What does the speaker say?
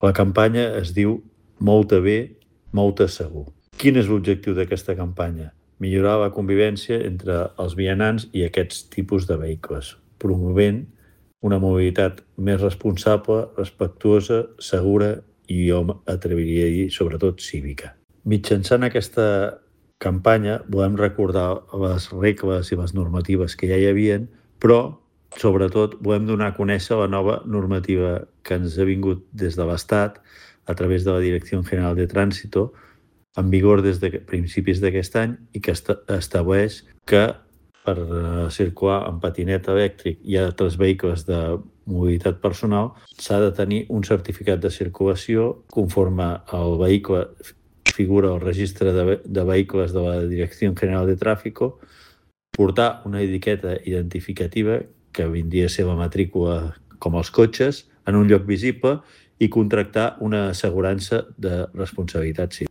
La campanya es diu Mou-te bé, mou-te segur. Quin és l'objectiu d'aquesta campanya? Millorar la convivència entre els vianants i aquests tipus de vehicles, promovent una mobilitat més responsable, respectuosa, segura i jo m'atreviria a dir, sobretot, cívica. Mitjançant aquesta campanya volem recordar les regles i les normatives que ja hi havien, però sobretot volem donar a conèixer la nova normativa que ens ha vingut des de l'Estat a través de la Direcció General de Trànsito, en vigor des de principis d'aquest any i que estableix que per circular en patinet elèctric i altres vehicles de mobilitat personal s'ha de tenir un certificat de circulació conforme el vehicle figura al registre de vehicles de la Direcció General de Tràfico, portar una etiqueta identificativa que vindria a ser la matrícula com els cotxes en un lloc visible i contractar una assegurança de responsabilitat civil.